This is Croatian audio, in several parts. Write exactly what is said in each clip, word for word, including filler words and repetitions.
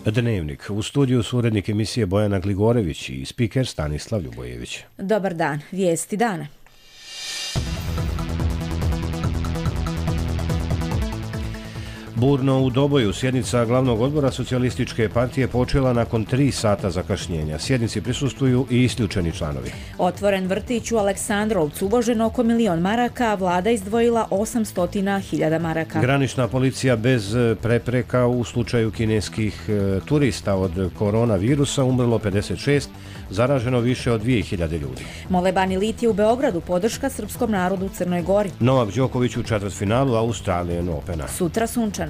Dnevnik. U studiju su urednik emisije Bojana Gligorević i spiker Stanislav Ljubojević. Dobar dan. Vijesti dana. Burno u Doboju sjednica glavnog odbora Socijalističke partije počela nakon tri sata zakašnjenja. Sjednici prisustvuju i isključeni članovi. Otvoren vrtić u Aleksandrovcu, uloženo oko milion maraka, a vlada izdvojila osamsto hiljada maraka. Granična policija bez prepreka u slučaju kineskih turista od koronavirusa, umrlo pedeset šest, zaraženo više od dvije hiljade ljudi. Molebani Litije u Beogradu, podrška srpskom narodu u Crnoj Gori. Novak Đoković u četvrtfinalu Australian Opena. Sutra sunčano.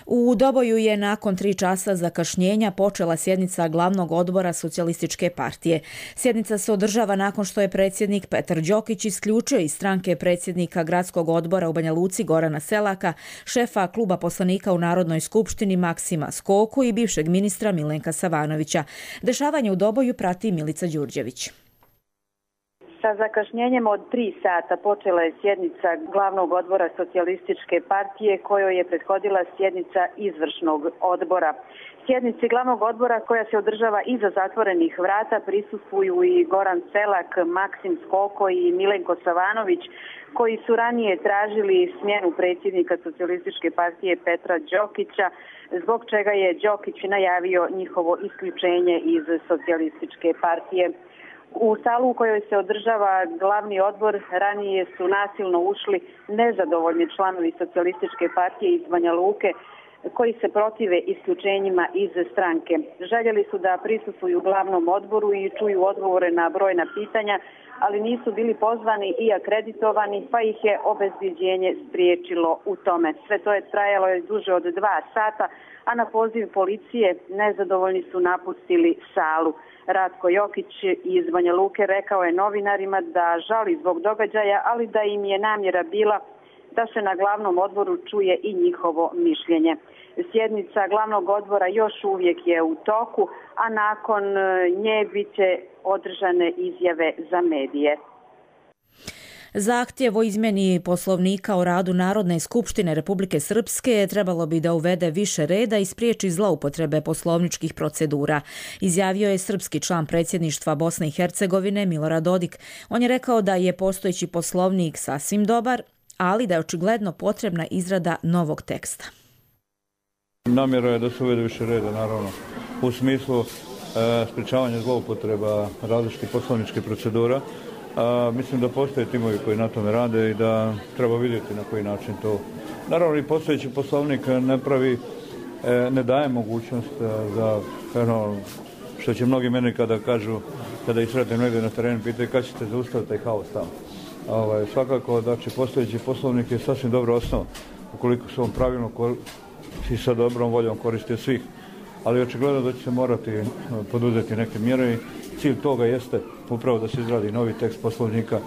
U Doboju je nakon tri časa zakašnjenja počela sjednica glavnog odbora Socijalističke partije. Sjednica se održava nakon što je predsjednik Petar Đokić isključio iz stranke predsjednika gradskog odbora u Banja Luci Gorana Selaka, šefa kluba poslanika u Narodnoj skupštini Maksima Skoku i bivšeg ministra Milenka Savanovića. Dešavanje u Doboju prati Milica Đurđević. Sa zakašnjenjem od tri sata počela je sjednica glavnog odbora Socijalističke partije kojoj je prethodila sjednica izvršnog odbora. Sjednici glavnog odbora koja se održava iza zatvorenih vrata prisustvuju i Goran Selak, Maksim Skoko i Milenko Savanović, koji su ranije tražili smjenu predsjednika Socijalističke partije Petra Đokića, zbog čega je Đokić najavio njihovo isključenje iz Socijalističke partije. U salu u kojoj se održava glavni odbor ranije su nasilno ušli nezadovoljni članovi Socijalističke partije iz Banja Luke koji se protive isključenjima iz stranke. Željeli su da prisustvuju glavnom odboru i čuju odgovore na brojna pitanja, ali nisu bili pozvani i akreditovani, pa ih je obezbjeđenje spriječilo u tome. Sve to je trajalo je duže od dva sata, a na poziv policije nezadovoljni su napustili salu. Ratko Jokić iz Banja Luke rekao je novinarima da žali zbog događaja, ali da im je namjera bila da se na glavnom odboru čuje i njihovo mišljenje. Sjednica glavnog odbora još uvijek je u toku, a nakon nje bit će održane izjave za medije. Zahtjev o izmjeni poslovnika o radu Narodne skupštine Republike Srpske trebalo bi da uvede više reda i spriječi zloupotrebe poslovničkih procedura, izjavio je srpski član predsjedništva Bosne i Hercegovine Milorad Dodik. On je rekao da je postojeći poslovnik sasvim dobar, ali da je očigledno potrebna izrada novog teksta. Namjera je da se uvede više reda, naravno, u smislu e, sprječavanja zloupotreba različitih poslovničkih procedura. A, mislim da postoje timovi koji na tome rade i da treba vidjeti na koji način to. Naravno i postojeći poslovnik ne pravi, e, ne daje mogućnost za ono, što će mnogi meni kada kažu, kada ih sretnem negdje na terenu, pitaju kada ćete zaustaviti taj haos tamo. Ovaj, svakako da će postojeći poslovnik je sasvim dobra osnova, ukoliko se on pravilno i sa dobrom voljom koristio svih. Ali očigledno da će se morati poduzeti neke mjere i cilj toga jeste upravo da se izradi novi tekst poslovnika.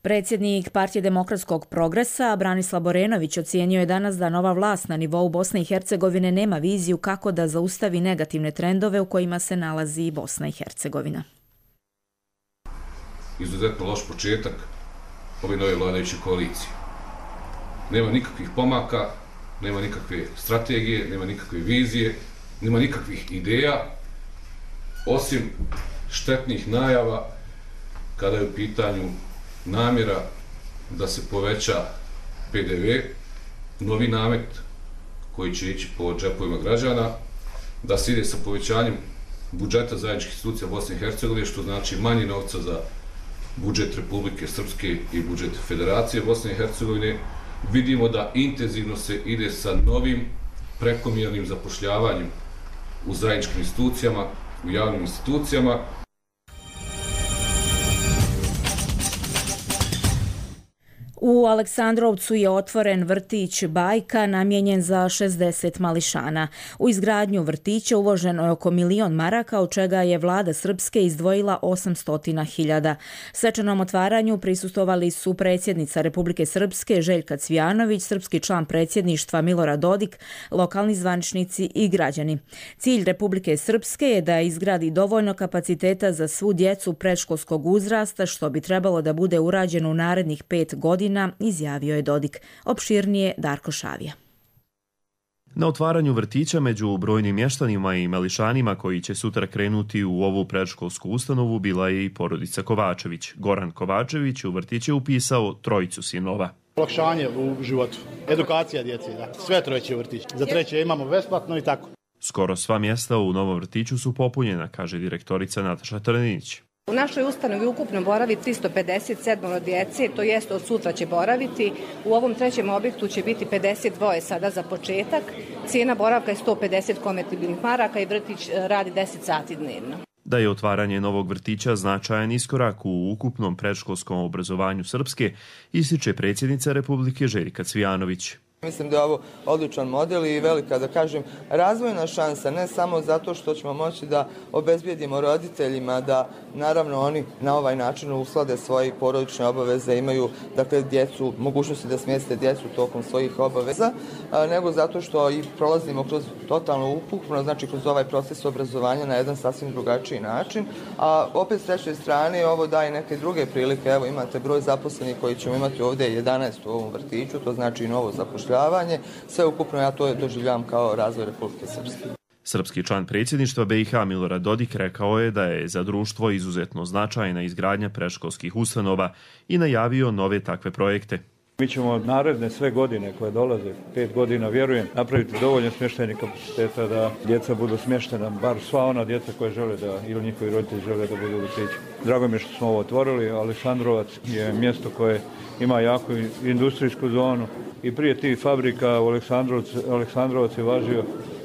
Predsjednik Partije demokratskog progresa Branislav Borenović ocijenio je danas da nova vlast na nivou Bosne i Hercegovine nema viziju kako da zaustavi negativne trendove u kojima se nalazi i Bosna i Hercegovina. Izuzetno loš početak ove nove vladajuće koalicije. Nema nikakvih pomaka, nema nikakve strategije, nema nikakve vizije, nema nikakvih ideja, osim štetnih najava kada je u pitanju namjera da se poveća P D V, novi namet koji će ići po džepovima građana, da se ide sa povećanjem budžeta zajedničkih institucija Bosne i Hercegovine, što znači manje novca za budžet Republike Srpske i budžet Federacije Bosne i Hercegovine. Vidimo da intenzivno se ide sa novim prekomjernim zapošljavanjem u zajedničkim institucijama, u javnim institucijama. U Aleksandrovcu je otvoren vrtić Bajka namijenjen za šezdeset mališana. U izgradnju vrtića uloženo je oko milion maraka, od čega je vlada Srpske izdvojila osamsto hiljada. Svečanom otvaranju prisustvovali su predsjednica Republike Srpske Željka Cvijanović, srpski član predsjedništva Milorad Dodik, lokalni zvaničnici i građani. Cilj Republike Srpske je da izgradi dovoljno kapaciteta za svu djecu predškolskog uzrasta, što bi trebalo da bude urađeno u narednih pet godina vrtića, izjavio je Dodik. Opširnije Darko Šavija. Na otvaranju vrtića među brojnim mještanima i mališanima koji će sutra krenuti u ovu predškolsku ustanovu bila je i porodica Kovačević. Goran Kovačević u vrtić je upisao trojicu sinova. Olakšanje u životu, edukacija djece, da. Sve trojice u vrtić. Za treće imamo besplatno i tako. Skoro sva mjesta u novom vrtiću su popunjena, kaže direktorica Nataša Trninić. U našoj ustanovi ukupno boravi tristo pedeset sedam djece, to jest od sutra će boraviti. U ovom trećem objektu će biti pedeset dva sada za početak. Cijena boravka je sto pedeset konvertibilnih maraka i vrtić radi deset sati dnevno. Da je otvaranje novog vrtića značajan iskorak u ukupnom predškolskom obrazovanju Srpske, ističe predsjednica Republike Željka Cvijanović. Mislim da je ovo odličan model i velika, da kažem, razvojna šansa, ne samo zato što ćemo moći da obezbijedimo roditeljima da naravno oni na ovaj način uslade svoje porodične obaveze, imaju dakle djecu, mogućnosti da smjeste djecu tokom svojih obaveza, nego zato što i prolazimo kroz totalno ukupno, znači kroz ovaj proces obrazovanja na jedan sasvim drugačiji način, a opet s treće strane ovo daje neke druge prilike. Evo imate broj zaposlenih koji ćemo imati ovdje jedanaest u ovom vrtiću, to znači i novo zapošljavanje. Sve ukupno ja to doživljavam kao razvoj Republike Srpske. Srpski član predsjedništva B i H Milorad Dodik rekao je da je za društvo izuzetno značajna izgradnja predškolskih ustanova i najavio nove takve projekte. Mi ćemo naredne sve godine koje dolaze, pet godina vjerujem, napraviti dovoljno smještajnih kapaciteta da djeca budu smještena, bar sva ona djeca koje žele da, ili njihovi roditelji žele da budu u vrtiću. Drago mi je što smo ovo otvorili, Aleksandrovac je mjesto koje ima jaku industrijsku zonu i prije tih fabrika u Aleksandrovac, Aleksandrovac je važio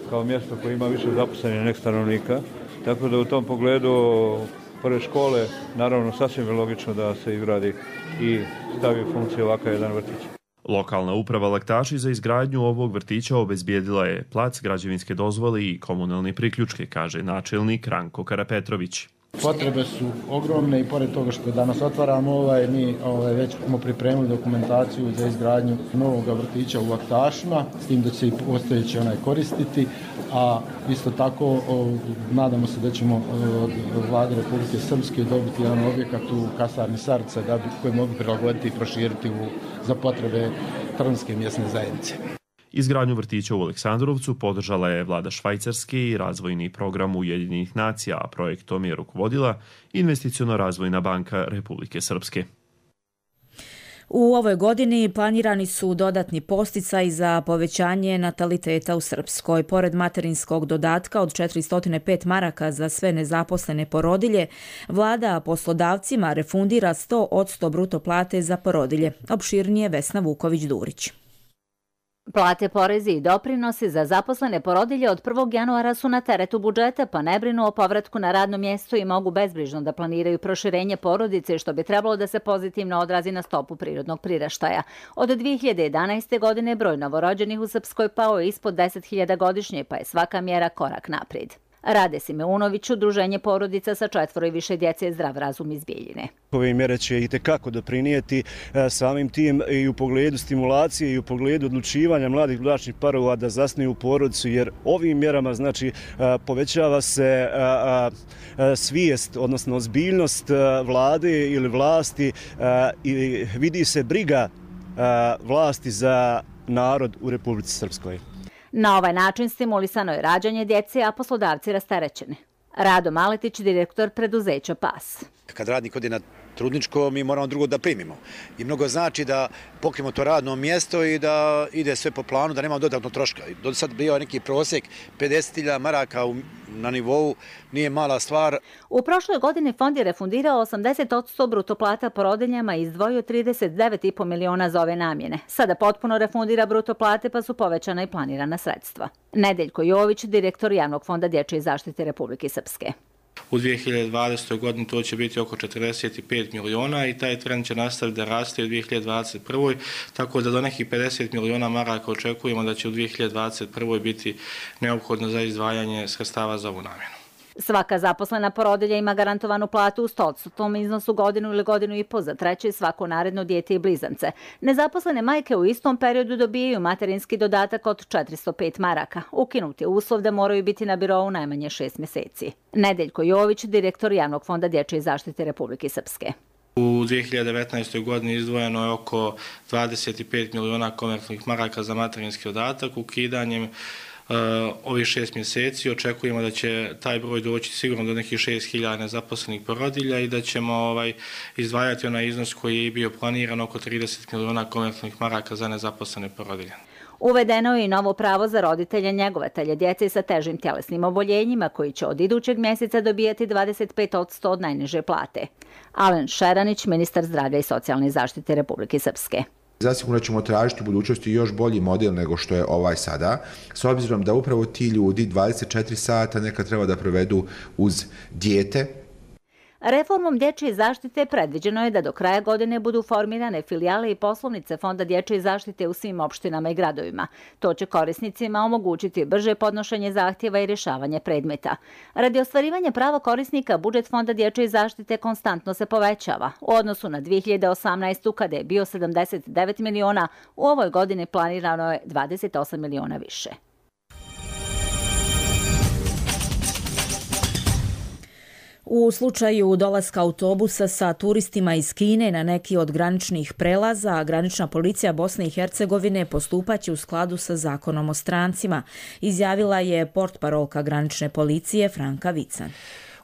kao mjesto koje ima više zaposlenih nek stanovnika, tako da u tom pogledu pored škole, naravno sasvim je logično da se izgradi i stavi u funkciju ovakav jedan vrtić. Lokalna uprava Laktaši za izgradnju ovog vrtića obezbijedila je plac, građevinske dozvole i komunalne priključke, kaže načelnik Ranko Karapetrović. Potrebe su ogromne i pored toga što danas otvaramo ovaj, mi ovaj, već smo pripremili dokumentaciju za izgradnju novog vrtića u Laktašima, s tim da će i postojeći onaj koristiti, a isto tako o, nadamo se da ćemo od vlade Republike Srpske dobiti jedan objekat u kasarni Sarca da bi, koji mogu prilagoditi i proširiti u, za potrebe Trnske mjesne zajednice. Izgradnju vrtića u Aleksandrovcu podržala je vlada Švajcarske i razvojni program Ujedinjenih nacija, a projektom je rukovodila Investiciono-razvojna banka Republike Srpske. U ovoj godini planirani su dodatni posticaji za povećanje nataliteta u Srpskoj. Pored materinskog dodatka od četiristo pet maraka za sve nezaposlene porodilje, vlada poslodavcima refundira sto posto bruto plate za porodilje. Opširnije Vesna Vuković-Durić. Plate, porezi i doprinosi za zaposlene porodilje od prvog januara su na teretu budžeta, pa ne brinu o povratku na radno mjesto i mogu bezbrižno da planiraju proširenje porodice, što bi trebalo da se pozitivno odrazi na stopu prirodnog priraštaja. Od dvije hiljade jedanaeste. godine broj novorođenih u Srpskoj pao je ispod deset hiljada godišnje, pa je svaka mjera korak naprijed. Rade Simeunović, udruženje porodica sa četvoro i više djece Zdrav razum iz Bijeljine. Ove mjere će i tekako doprinijeti samim tim i u pogledu stimulacije i u pogledu odlučivanja mladih bračnih parova da zasnuju porodicu, jer ovim mjerama znači povećava se svijest, odnosno ozbiljnost vlade ili vlasti i vidi se briga vlasti za narod u Republici Srpskoj. Na ovaj način stimulisano je rađanje djece, a poslodavci rasterećeni. Rado Maletić, direktor preduzeća P A S. Kad radnik ode na trudničko, mi moramo drugo da primimo. I mnogo znači da pokrijemo to radno mjesto i da ide sve po planu, da nema dodatno troška. Do sad bio neki prosjek pedeset hiljada maraka na nivou, nije mala stvar. U prošloj godini fond je refundirao osamdeset posto bruto plata porodiljama i izdvojio trideset devet i po miliona za ove namjene. Sada potpuno refundira bruto plate, pa su povećana i planirana sredstva. Nedeljko Jović, direktor Javnog fonda dječje zaštite Republike Srpske. U dvije hiljade dvadesetoj. godini to će biti oko četrdeset pet miliona i taj trend će nastaviti da raste u dvije hiljade dvadeset prvoj. Tako da do nekih pedeset miliona maraka očekujemo da će u dvije hiljade dvadeset prvoj. biti neophodno za izdvajanje sredstava za ovu namjenu. Svaka zaposlena porodilja ima garantovanu platu u sto posto iznosu godinu ili godinu i po za treće i svako naredno dijete i blizance. Nezaposlene majke u istom periodu dobijaju materinski dodatak od četiristo pet maraka. Ukinut je uslov da moraju biti na birou najmanje šest mjeseci. Nedeljko Jović, direktor Javnog fonda dječje zaštite Republike Srpske. U dvije hiljade devetnaestoj. godini izdvojeno je oko dvadeset pet miliona komercijalnih maraka za materinski dodatak. Ukidanjem uh, ovih šest mjeseci očekujemo da će taj broj doći sigurno do nekih šest hiljada nezaposlenih porodilja i da ćemo ovaj, izdvajati onaj iznos koji je bio planiran oko trideset miliona komercijalnih maraka za nezaposlene porodilje. Uvedeno je i novo pravo za roditelje njegovatelje djece sa težim tjelesnim oboljenjima koji će od idućeg mjeseca dobijati dvadeset pet posto od najniže plate. Alen Šeranić, ministar zdravlja i socijalne zaštite Republike Srpske. Zasigurno ćemo tražiti u budućnosti još bolji model nego što je ovaj sada, s obzirom da upravo ti ljudi dvadeset četiri sata nekad treba da provedu uz dijete. Reformom dječje zaštite predviđeno je da do kraja godine budu formirane filijale i poslovnice Fonda dječje zaštite u svim opštinama i gradovima. To će korisnicima omogućiti brže podnošenje zahtjeva i rješavanje predmeta. Radi ostvarivanja prava korisnika, budžet Fonda dječje zaštite konstantno se povećava. U odnosu na dvije hiljade osamnaestu. kada je bio sedamdeset devet miliona, u ovoj godini planirano je dvadeset osam miliona više. U slučaju dolaska autobusa sa turistima iz Kine na neki od graničnih prelaza, granična policija Bosne i Hercegovine postupaće u skladu sa zakonom o strancima, izjavila je portparolka granične policije Franka Vican.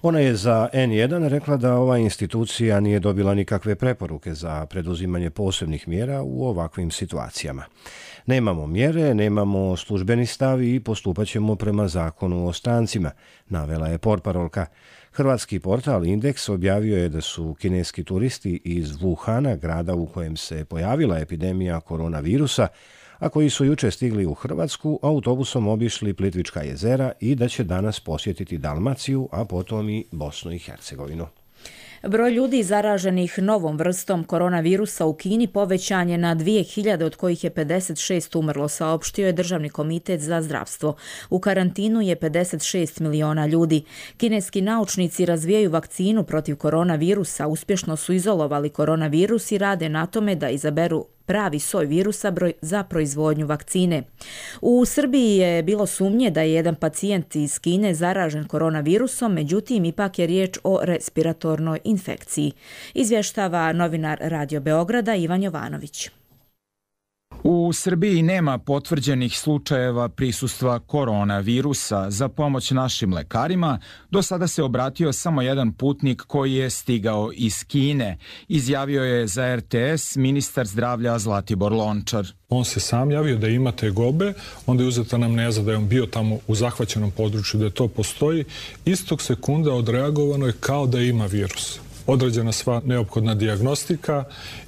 Ona je za en jedan rekla da ova institucija nije dobila nikakve preporuke za preduzimanje posebnih mjera u ovakvim situacijama. Nemamo mjere, nemamo službeni stav i postupat ćemo prema zakonu o strancima, navela je portparolka. Hrvatski portal Indeks objavio je da su kineski turisti iz Wuhana, grada u kojem se pojavila epidemija koronavirusa, a koji su juče stigli u Hrvatsku, autobusom obišli Plitvička jezera i da će danas posjetiti Dalmaciju, a potom i Bosnu i Hercegovinu. Broj ljudi zaraženih novom vrstom koronavirusa u Kini povećan je na dvije hiljade, od kojih je pedeset šest umrlo, saopštio je Državni komitet za zdravstvo. U karantinu je pedeset šest miliona ljudi. Kineski naučnici razvijaju vakcinu protiv koronavirusa, uspješno su izolovali koronavirus i rade na tome da izaberu pravi soj virusa za proizvodnju vakcine. U Srbiji je bilo sumnje da je jedan pacijent iz Kine zaražen koronavirusom, međutim ipak je riječ o respiratornoj infekciji, izvještava novinar Radio Beograda Ivan Jovanović. U Srbiji nema potvrđenih slučajeva prisustva koronavirusa. Za pomoć našim lekarima do sada se obratio samo jedan putnik koji je stigao iz Kine, izjavio je za er te es ministar zdravlja Zlatibor Lončar. On se sam javio da ima tegobe, onda je uzeta anamneza da je on bio tamo u zahvaćenom području, da to postoji. Istog sekunda odreagovano je kao da ima virus. Odrađena sva neophodna dijagnostika,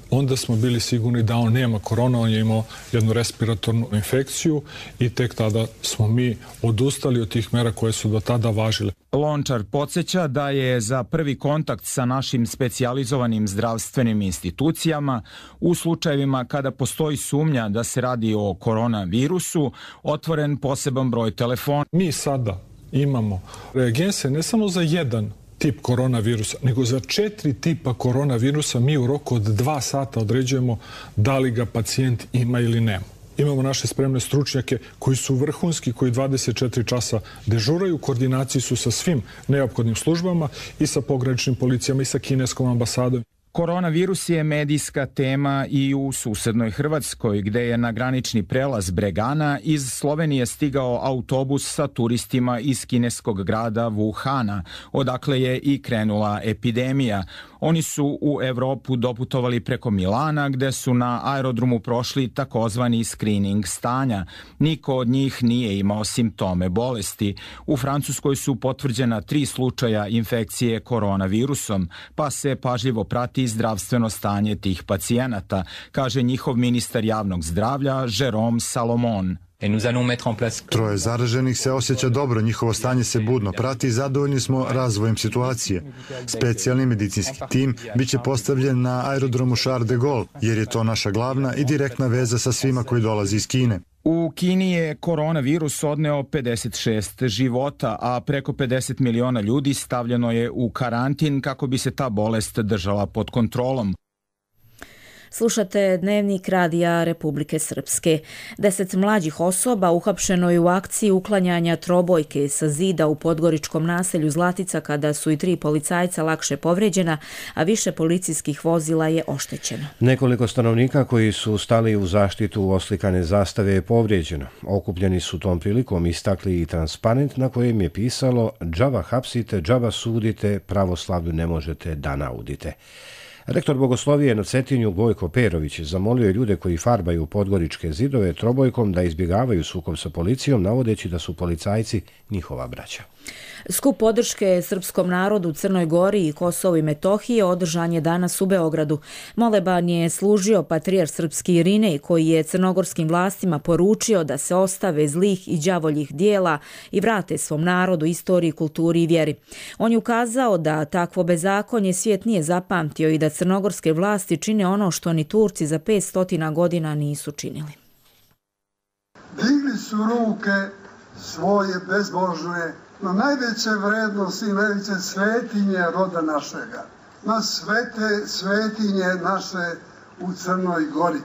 onda smo bili sigurni da on nema korona, on je imao jednu respiratornu infekciju i tek tada smo mi odustali od tih mera koje su do tada važile. Lončar podsjeća da je za prvi kontakt sa našim specijalizovanim zdravstvenim institucijama u slučajevima kada postoji sumnja da se radi o koronavirusu otvoren poseban broj telefona. Mi sada imamo reagense ne samo za jedan tip koronavirusa, nego za četiri tipa koronavirusa mi u roku od dva sata određujemo da li ga pacijent ima ili nema. Imamo naše spremne stručnjake koji su vrhunski, koji dvadeset četiri časa dežuraju, u koordinaciji su sa svim neophodnim službama i sa pograničnim policijama i sa kineskom ambasadom. Koronavirus je medijska tema i u susednoj Hrvatskoj, gde je na granični prelaz Bregana iz Slovenije stigao autobus sa turistima iz kineskog grada Wuhana, odakle je i krenula epidemija. Oni su u Evropu doputovali preko Milana, gde su na aerodromu prošli takozvani screening stanja. Niko od njih nije imao simptome bolesti. U Francuskoj su potvrđena tri slučaja infekcije koronavirusom, pa se pažljivo prati zdravstveno stanje tih pacijenata, kaže njihov ministar javnog zdravlja Jérôme Salomon. Troje zaraženih se osjeća dobro, njihovo stanje se budno prati i zadovoljni smo razvojem situacije. Specijalni medicinski tim biće postavljen na aerodromu Charles de Gaulle, jer je to naša glavna i direktna veza sa svima koji dolazi iz Kine. U Kini je koronavirus odneo pedeset šest života, a preko pedeset miliona ljudi stavljeno je u karantin kako bi se ta bolest držala pod kontrolom. Slušate Dnevnik radija Republike Srpske. Deset mlađih osoba uhapšeno je u akciji uklanjanja trobojke sa zida u podgoričkom naselju Zlatica kada su i tri policajca lakše povrijeđena, a više policijskih vozila je oštećeno. Nekoliko stanovnika koji su stali u zaštitu oslikane zastave je povrijeđeno. Okupljeni su tom prilikom istakli i transparent na kojem je pisalo "Džaba hapsite, džaba sudite, pravoslavlju ne možete da naudite". Rektor Bogoslovije na Cetinju Gojko Perović zamolio je ljude koji farbaju podgoričke zidove trobojkom da izbjegavaju sukob sa policijom, navodeći da su policajci njihova braća. Skup podrške srpskom narodu u Crnoj Gori i Kosovu i Metohiji održan je danas u Beogradu. Moleban je služio patrijarh srpski Irinej, koji je crnogorskim vlastima poručio da se ostave zlih i đavoljih dijela i vrate svom narodu, istoriji, kulturi i vjeri. On je ukazao da takvo bezakonje svijet nije zapamtio i da crnogorske vlasti čine ono što ni Turci za petsto godina nisu činili. Digli su ruke svoje bezbožne na najveće vrednosti i najveće svetinje roda našega, na svete svetinje naše u Crnoj Gori,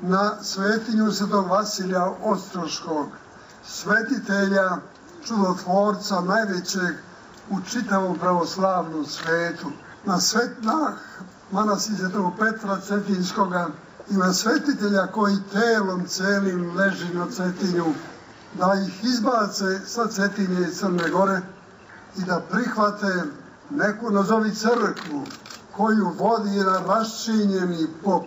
na svetinju Svetog Vasilija Ostroškog, svetitelja, čudotvorca najvećeg u čitavom pravoslavnom svetu, na svetnah manastir Svetog Petra Cetinskoga i na svetitelja koji telom celim leži na Cetinju, da ih izbace sa Cetinje i Crne Gore i da prihvate neku nazovi crkvu koju vodi jedan raščinjeni pop.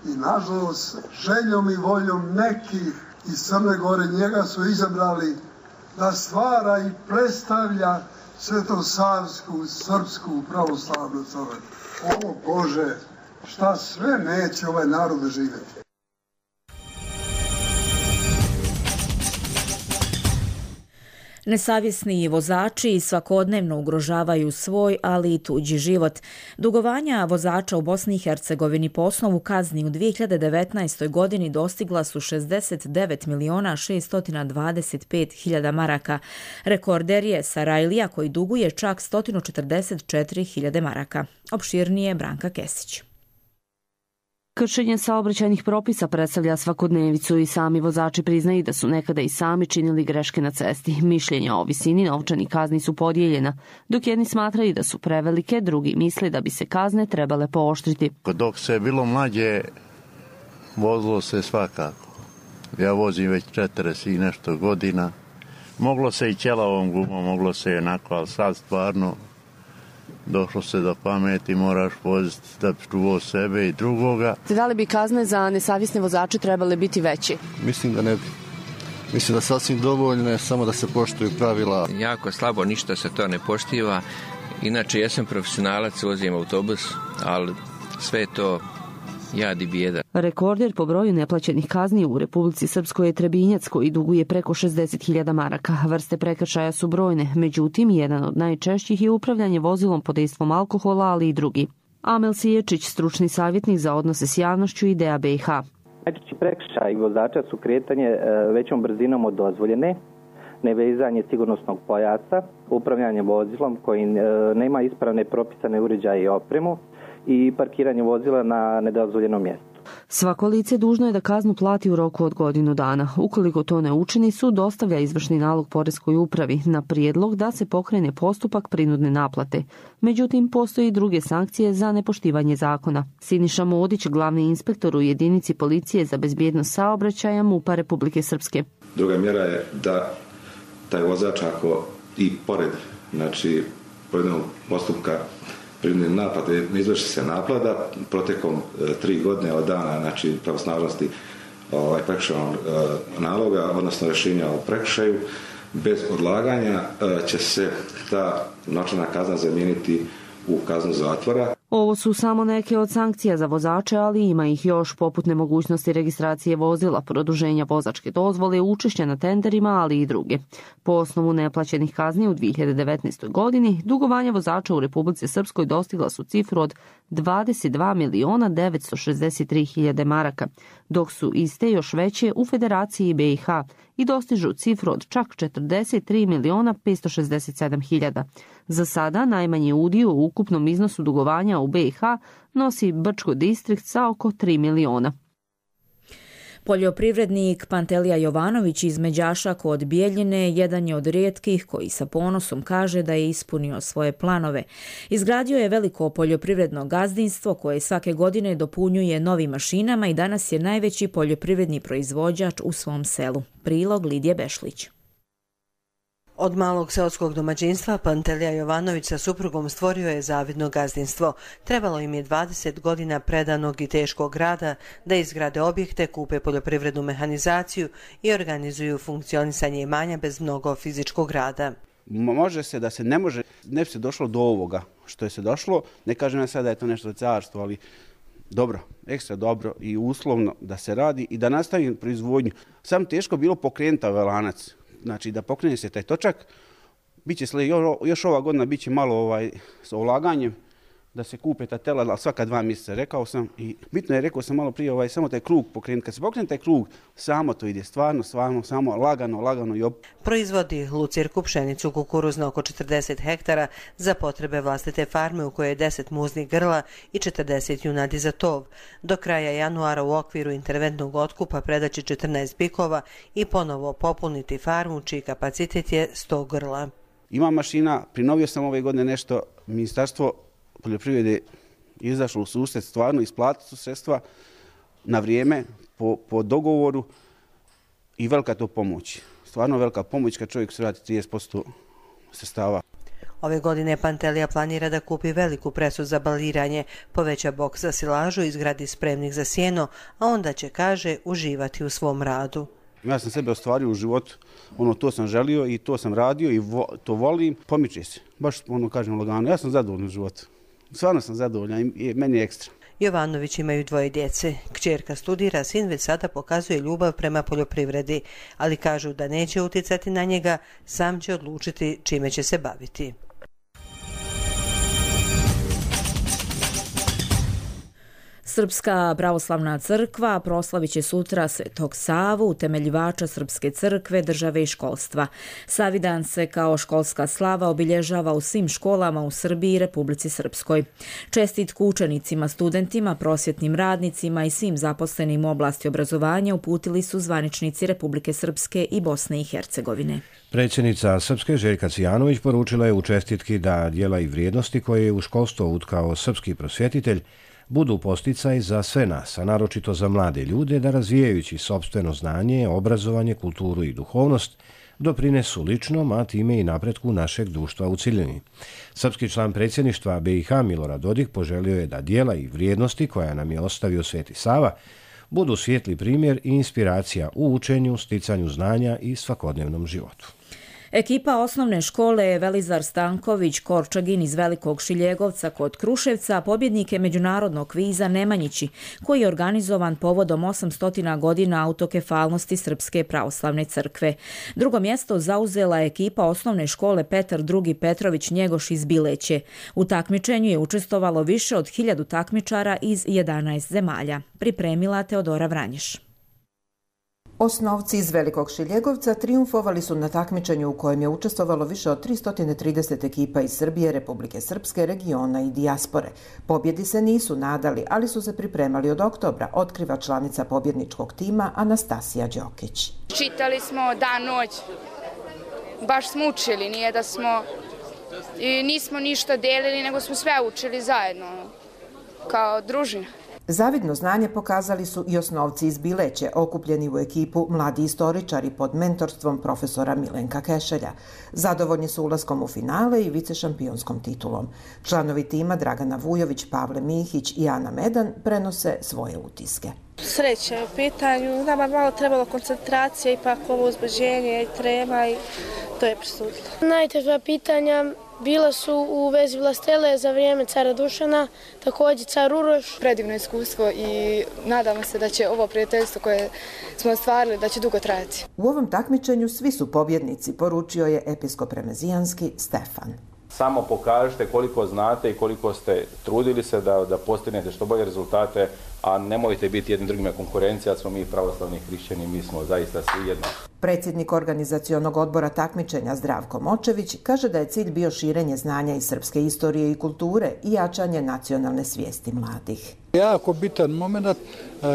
I nažalost, željom i voljom nekih iz Crne Gore njega su izabrali da stvara i predstavlja svetosavsku, srpsku pravoslavnu crkvu. O Bože, šta sve neće ovaj narod živjeti. Nesavjesni vozači svakodnevno ugrožavaju svoj, ali i tuđi život. Dugovanja vozača u Bosni i Hercegovini po osnovu kazni u dvije hiljade devetnaestoj. godini dostigla su šezdeset devet miliona šeststo dvadeset pet hiljada maraka. Rekorder je Sarajlija koji duguje čak sto četrdeset četiri hiljade maraka. Opširnije Branka Kesić. Kršenje saobraćajnih propisa predstavlja svakodnevicu i sami vozači priznaju da su nekada i sami činili greške na cesti. Mišljenja o visini novčanih kazni su podijeljena, dok jedni smatraju da su prevelike, drugi misle da bi se kazne trebale pooštriti. Dok se je bilo mlađe, vozilo se svakako. Ja vozim već četrdeset i nešto godina. Moglo se i ćelavom gumom, moglo se i onako, ali sad stvarno došlo se do pameti, moraš voziti da bi čuvao sebe i drugoga. Da li bi kazne za nesavjesne vozače trebale biti veće? Mislim da ne bi. Mislim da sasvim dovoljno, samo da se poštuju pravila. Jako slabo, ništa se to ne poštiva. Inače, ja sam profesionalac, vozim autobus, ali sve to jad i bijeda. Rekorder po broju neplaćenih kazni u Republici Srpskoj je Trebinjac koji duguje preko šezdeset hiljada maraka. Vrste prekršaja su brojne, međutim, jedan od najčešćih je upravljanje vozilom pod dejstvom alkohola, ali i drugi. Amel Siječić, stručni savjetnik za odnose s javnošću i D A B i H. Najčešći prekršaj vozača su kretanje većom brzinom od dozvoljene, nevezanje sigurnosnog pojasa, upravljanje vozilom koji nema ispravne propisane uređaje i opremu i parkiranje vozila na nedozvoljenom mjestu. Svako lice dužno je da kaznu plati u roku od godinu dana. Ukoliko to ne učini, sud dostavlja izvršni nalog poreskoj upravi na prijedlog da se pokrene postupak prinudne naplate. Međutim, postoji i druge sankcije za nepoštivanje zakona. Siniša Modić, glavni inspektor u jedinici policije za bezbjednost saobraćaja MUP-a Republike Srpske. Druga mjera je da taj vozač ako i pored, znači, pojedinog postupka prinudne naplate ne izvrši se naplata protekom e, tri godine od dana, znači pravosnažnosti ovaj, prekršajnog e, naloga, odnosno rješenja o prekršaju, bez odlaganja e, će se ta novčana kazna zamijeniti u kaznu zatvora. Ovo su samo neke od sankcija za vozače, ali ima ih još, poput nemogućnosti registracije vozila, produženja vozačke dozvole, učešća na tenderima, ali i druge. Po osnovu neplaćenih kazni u dvije hiljade devetnaestoj. godini, dugovanja vozača u Republici Srpskoj dostigla su cifru od dvadeset dva miliona devetsto šezdeset tri hiljade maraka, dok su iste još veće u Federaciji B i H i dostižu cifru od čak četrdeset tri miliona petsto šezdeset sedam hiljada. Za sada najmanji udio u ukupnom iznosu dugovanja u B i H nosi Brčko distrikt sa oko tri miliona. Poljoprivrednik Pantelija Jovanović iz Međaša kod Bijeljine jedan je od rijetkih koji sa ponosom kaže da je ispunio svoje planove. Izgradio je veliko poljoprivredno gazdinstvo koje svake godine dopunjuje novim mašinama i danas je najveći poljoprivredni proizvođač u svom selu. Prilog Lidije Bešlić. Od malog seoskog domaćinstva Pantelija Jovanović sa suprugom stvorio je zavidno gazdinstvo. Trebalo im je dvadeset godina predanog i teškog rada da izgrade objekte, kupe poljoprivrednu mehanizaciju i organizuju funkcionisanje imanja bez mnogo fizičkog rada. Može se da se ne može, ne bi se došlo do ovoga što je se došlo. Ne kažem ja sada da je to nešto carstvo, ali dobro, ekstra dobro i uslovno da se radi i da nastavi proizvodnju. Samo teško bilo pokrenuti ovaj lanac. Znači da pokrene se taj točak, biće još ova godina biće malo ovaj, s ulaganjem, da se kupe ta tela, ali svaka dva mjeseca, rekao sam. I bitno je, rekao sam malo prije, ovaj, samo taj krug pokrenuti. Kad se pokrene taj krug, samo to ide, stvarno, stvarno, samo lagano, lagano i op. Proizvodi lucirku, pšenicu, kukuruz na oko četrdeset hektara za potrebe vlastite farme u kojoj je deset muznih grla i četrdeset junadi za tov. Do kraja januara u okviru interventnog otkupa predaći četrnaest bikova i ponovo popuniti farmu čiji kapacitet je sto grla. Ima mašina, prinovio sam ove godine nešto, ministarstvo poljoprivrede izašlo u susret, stvarno isplatili su sredstva na vrijeme, po, po dogovoru i velika to pomoć. Stvarno velika pomoć kad čovjek se vrati trideset posto sredstava. Ove godine Pantelija planira da kupi veliku presu za baliranje, poveća boks za silažu i izgradi spremnik za sjeno, a onda će, kaže, uživati u svom radu. Ja sam sebe ostvario u životu, ono to sam želio i to sam radio i vo, to volim, pomiče se, baš ono kažem lagano, ja sam zadovoljan u životu. Stvarno sam zadovoljan i meni je ekstra. Jovanović imaju dvoje djece. Kćerka studira, sin već sada pokazuje ljubav prema poljoprivredi, ali kažu da neće utjecati na njega, sam će odlučiti čime će se baviti. Srpska pravoslavna crkva proslavit će sutra Svetog Savu, utemeljivača Srpske crkve, države i školstva. Savidan se kao školska slava obilježava u svim školama u Srbiji i Republici Srpskoj. Čestitku učenicima, studentima, prosvjetnim radnicima i svim zaposlenim u oblasti obrazovanja uputili su zvaničnici Republike Srpske i Bosne i Hercegovine. Predsjednica Srpske Željka Cijanović poručila je u čestitki da djela i vrijednosti koje je u školstvo utkao srpski prosvjetitelj budu posticaj za sve nas, a naročito za mlade ljude, da razvijajući sopstveno znanje, obrazovanje, kulturu i duhovnost, doprinesu ličnom, a time i napretku našeg društva u cjelini. Srpski član predsjedništva B i H Milorad Dodik poželio je da djela i vrijednosti koja nam je ostavio Sveti Sava budu svijetli primjer i inspiracija u učenju, sticanju znanja i svakodnevnom životu. Ekipa osnovne škole Velizar Stanković Korčagin iz Velikog Šiljegovca kod Kruševca pobjednik je međunarodnog kviza Nemanjići, koji je organizovan povodom osamsto godina autokefalnosti Srpske pravoslavne crkve. Drugo mjesto zauzela je ekipa osnovne škole Petar drugi Petrović Njegoš iz Bileće. U takmičenju je učestvovalo više od hiljadu takmičara iz jedanaest zemalja. Pripremila Teodora Vranješ. Osnovci iz Velikog Šiljegovca trijumfovali su na takmičenju u kojem je učestvovalo više od tristo trideset ekipa iz Srbije, Republike Srpske, regiona i dijaspore. Pobjedi se nisu nadali, ali su se pripremali od oktobra, otkriva članica pobjedničkog tima Anastasija Đokić. Čitali smo dan, noć, baš smo učili, nije da smo, i nismo ništa delili, nego smo sve učili zajedno, kao družina. Zavidno znanje pokazali su i osnovci iz Bileće, okupljeni u ekipu mladi istoričari pod mentorstvom profesora Milenka Kešelja. Zadovoljni su ulaskom u finale i vicešampionskom titulom. Članovi tima Dragana Vujović, Pavle Mihić i Ana Medan prenose svoje utiske. Sreća je u pitanju, nama malo trebalo koncentracija, ipak ovo uzbuđenje i trema i to je presudilo. Najteža pitanja bila su u vezi vlastele za vrijeme cara Dušana, također car Uroš. Predivno iskustvo i nadamo se da će ovo prijateljstvo koje smo ostvarili da će dugo trajati. U ovom takmičenju svi su pobjednici, poručio je episkop remezijanski Stefan. samo pokažite koliko znate i koliko ste trudili se da, da postignete što bolje rezultate, a nemojte biti jednim drugima konkurencija, smo mi pravoslavni hrišćani, mi smo zaista svi jedno. Predsjednik organizacionog odbora takmičenja Zdravko Močević kaže da je cilj bio širenje znanja iz srpske istorije i kulture i jačanje nacionalne svijesti mladih. Jako bitan moment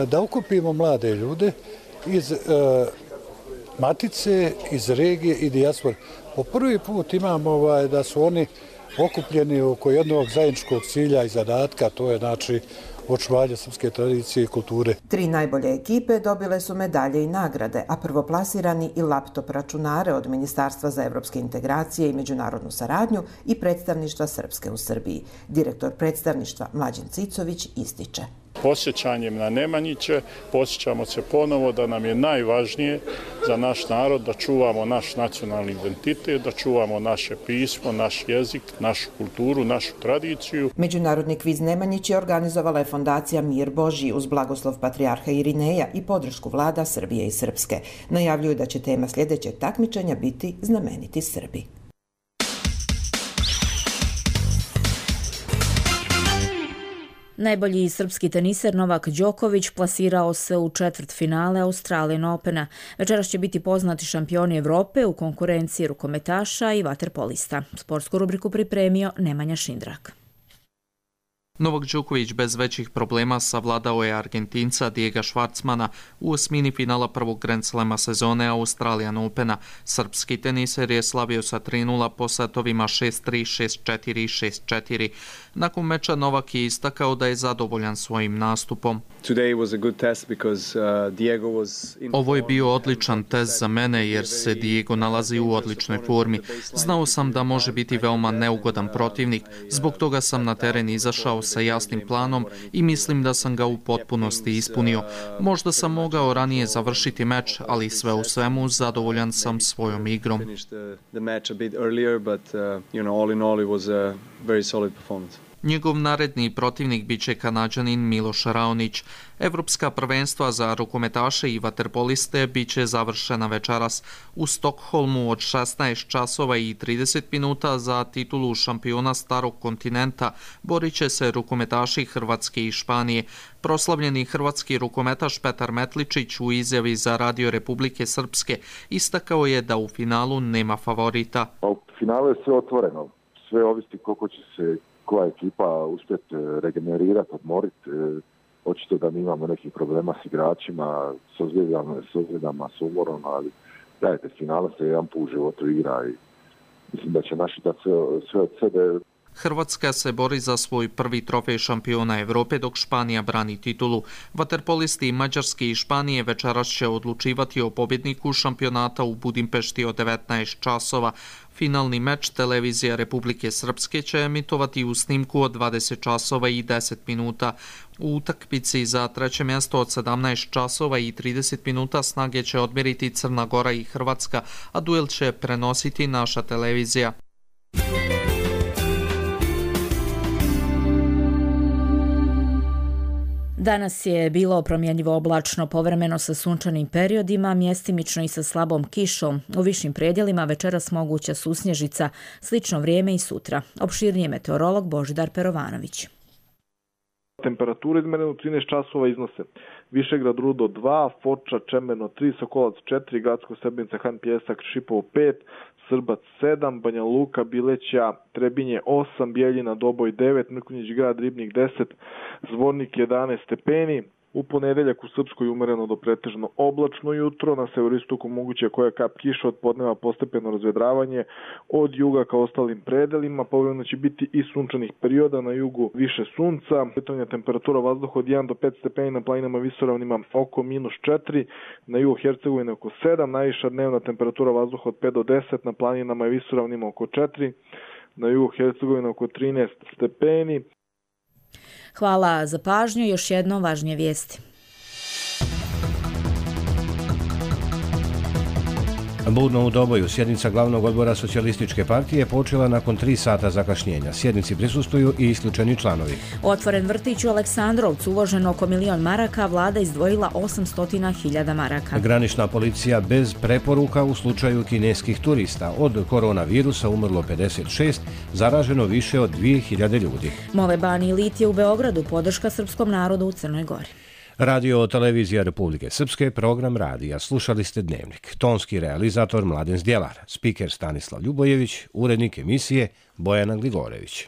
da okupimo mlade ljude iz matice, iz regije i dijaspore. Po prvi put imamo ovaj, da su oni okupljeni oko jednog zajedničkog cilja i zadatka, to je znači očuvanje srpske tradicije i kulture. Tri najbolje ekipe dobile su medalje i nagrade, a prvoplasirani i laptop računare od Ministarstva za evropske integracije i međunarodnu saradnju i predstavništva Srpske u Srbiji. Direktor predstavništva Mlađan Cicović ističe. Posjećanjem na Nemanjiće posjećamo se ponovo da nam je najvažnije za naš narod da čuvamo naš nacionalni identitet, da čuvamo naše pismo, naš jezik, našu kulturu, našu tradiciju. Međunarodni kviz Nemanjić je organizovala je fondacija Mir Božji uz blagoslov patrijarha Irineja i podršku vlada Srbije i Srpske. Najavljuju da će tema sljedećeg takmičenja biti znameniti Srbi. Najbolji srpski teniser Novak Đoković plasirao se u četvrtfinale Australian Opena. Večeras će biti poznati šampioni Evrope u konkurenciji rukometaša i vaterpolista. Sportsku rubriku pripremio Nemanja Šindrak. Novak Đoković bez većih problema savladao je Argentinca Diega Schwartzmana u osmini finala prvog Grand Slema sezone Australian Opena. Srpski teniser je slavio sa tri nula po setovima šest tri, šest četiri i šest četiri. Nakon meča Novak je istakao da je zadovoljan svojim nastupom. Ovo je bio odličan test za mene jer se Diego nalazi u odličnoj formi. Znao sam da može biti veoma neugodan protivnik, zbog toga sam na teren izašao sa jasnim planom i mislim da sam ga u potpunosti ispunio. Možda sam mogao ranije završiti meč, ali sve u svemu zadovoljan sam svojom igrom. Njegov naredni protivnik biće Kanađanin Miloš Raonić. Evropska prvenstva za rukometaše i vaterpoliste biće završena večeras u Stokholmu od šesnaest časova i trideset minuta. Za titulu šampiona starog kontinenta borit će se rukometaši Hrvatske i Španije. Proslavljeni hrvatski rukometaš Petar Metličić u izjavi za Radio Republike Srpske istakao je da u finalu nema favorita. U finalu je sve otvoreno. Sve ovisi koliko će se koja ekipa uspjeti regenerirati, odmoriti. Očito da mi imamo nekih problema s igračima, s ozljedama, s ozljedama, s umorom, ali dajte, finale se jedan put u životu igra i mislim da će naši dati sve, sve od sebe. Hrvatska se bori za svoj prvi trofej šampiona Evrope dok Španija brani titulu. Vaterpolisti Mađarske i Španije večeras će odlučivati o pobjedniku šampionata u Budimpešti od devetnaest časova. Finalni meč televizija Republike Srpske će emitovati u snimku od dvadeset časova i deset minuta. U utakmici za treće mjesto od sedamnaest časova i trideset minuta snage će odmjeriti Crna Gora i Hrvatska, a duel će prenositi naša televizija. Danas je bilo promjenjivo oblačno, povremeno sa sunčanim periodima, mjestimično i sa slabom kišom. U višim predjelima večeras moguća susnježica, slično vrijeme i sutra. Opširnije meteorolog Božidar Perovanović. Temperature izmerene u trinaest časova iznose Višegrad Rudo dva, Foča Čemeno tri, Sokolac četiri, Gradsko Srbnica Han Pjesak Šipovo pet, Srbac sedam, Banja Luka, Bileća, Trebinje osam, Bijeljina Doboj devet, Mrkonjić Grad Ribnik deset, Zvornik jedanaest stepeni. U ponedeljak u Srpskoj umereno do pretežno oblačno jutro, na severistoku moguće koja kap kiša, od podneva postepeno razvedravanje, od juga ka ostalim predelima, povremeno će biti i sunčanih perioda, na jugu više sunca, kretanja temperatura vazduha od jedan do pet stepeni, na planinama visoravnima oko minus četiri, na jugu Hercegovine oko sedam, najviša dnevna temperatura vazduha od pet do deset, na planinama i visoravnima oko četiri, na jugu Hercegovine oko trinaest stepeni. Hvala za pažnju. Još jedno važnije vijesti. Budno u Doboju sjednica glavnog odbora socijalističke partije počela nakon tri sata zakašnjenja. Sjednici prisustvuju i isključeni članovi. Otvoren vrtić u Aleksandrovcu, uloženo oko milion maraka, vlada izdvojila osamsto hiljada maraka. Granična policija bez preporuka u slučaju kineskih turista. Od koronavirusa umrlo pedeset šest, zaraženo više od dvije hiljade ljudi. Mole Bani Lit je u Beogradu podrška srpskom narodu u Crnoj Gori. Radio televizija Republike Srpske, program radija. Slušali ste Dnevnik. Tonski realizator Mladen Zdjelar, spiker Stanislav Ljubojević, urednik emisije Bojana Gligorević.